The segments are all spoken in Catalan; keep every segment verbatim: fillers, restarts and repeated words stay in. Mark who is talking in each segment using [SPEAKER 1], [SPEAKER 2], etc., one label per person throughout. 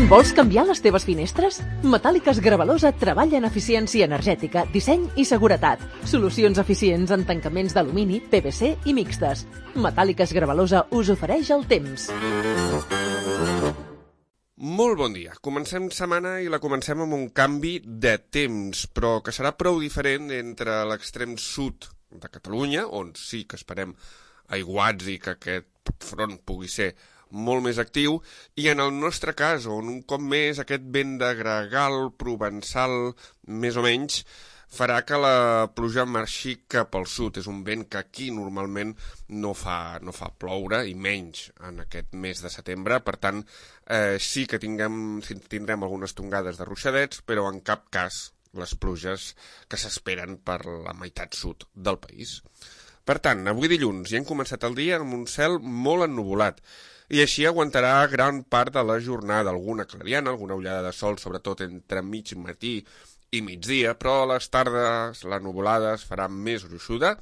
[SPEAKER 1] Vols canviar les teves finestres? Metàl·liques Gravalosa treballa en eficiència energètica, disseny i seguretat. Solucions eficients en tancaments d'alumini, P V C i mixtes. Metàl·liques Gravalosa us ofereix el temps.
[SPEAKER 2] Molt bon dia. Comencem setmana i la comencem amb un canvi de temps, però que serà prou diferent entre l'extrem sud de Catalunya, on sí que esperem aiguats i que aquest front pugui ser molt més actiu, i en el nostre cas, on un cop més aquest vent de gregal, provençal, més o menys, farà que la pluja marxi cap al sud. És un vent que aquí normalment no fa, no fa ploure, i menys en aquest mes de setembre. Per tant, eh, sí que tinguem, tindrem algunes tongades de ruixadets, però en cap cas les pluges que s'esperen per la meitat sud del país. Per tant, avui dilluns ja hem començat el dia amb un cel molt ennuvolat, i així aguantarà gran part de la jornada, alguna clariana, alguna ullada de sol, sobretot entre mig matí i migdia, però a les tardes la nuvolada es farà més gruixuda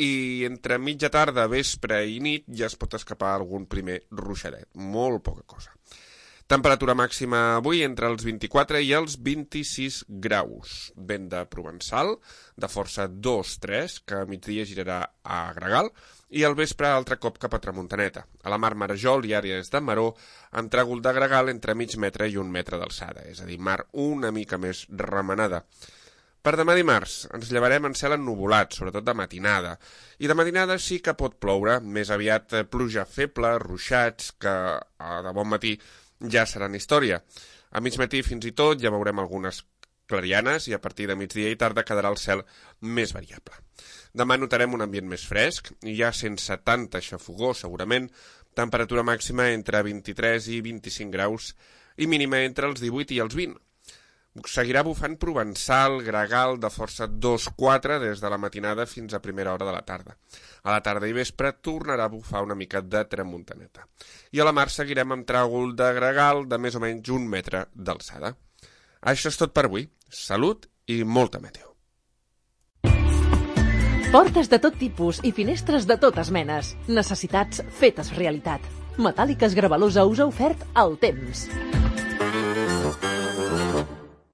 [SPEAKER 2] i entre mitja tarda, vespre i nit ja es pot escapar algun primer ruixadet, molt poca cosa. Temperatura màxima avui entre els vint-i-quatre i els vint-i-sis graus. Vent de provençal, de força dos tres, que a migdia girarà a gregal, i al vespre altre cop cap a tramuntaneta. A la mar Marajol i àrees de Maró, amb tràgol de gregal entre mig metre i un metre d'alçada, és a dir, mar una mica més remenada. Per demà dimarts ens llevarem en cel ennuvolat, sobretot de matinada, i de matinada sí que pot ploure, més aviat pluja feble, ruixats, que de bon matí ja seran història. A mig matí fins i tot ja veurem algunes clarianes i a partir de migdia i tarda quedarà el cel més variable. Demà notarem un ambient més fresc, i ja sense tanta xafogor segurament, temperatura màxima entre vint-i-tres i vint-i-cinc graus i mínima entre els divuit i els vint. Seguirà bufant provençal, gregal de força dos quatre des de la matinada fins a primera hora de la tarda. A la tarda i vespre tornarà a bufar una mica de tramuntaneta. I a la mar seguirem amb tràgol de gregal de més o menys un metre d'alçada. Això és tot per avui. Salut i molta meteo.
[SPEAKER 1] Portes de tot tipus i finestres de totes menes. Necessitats fetes realitat. Metàl·liques Gravalosa us ha ofert el temps.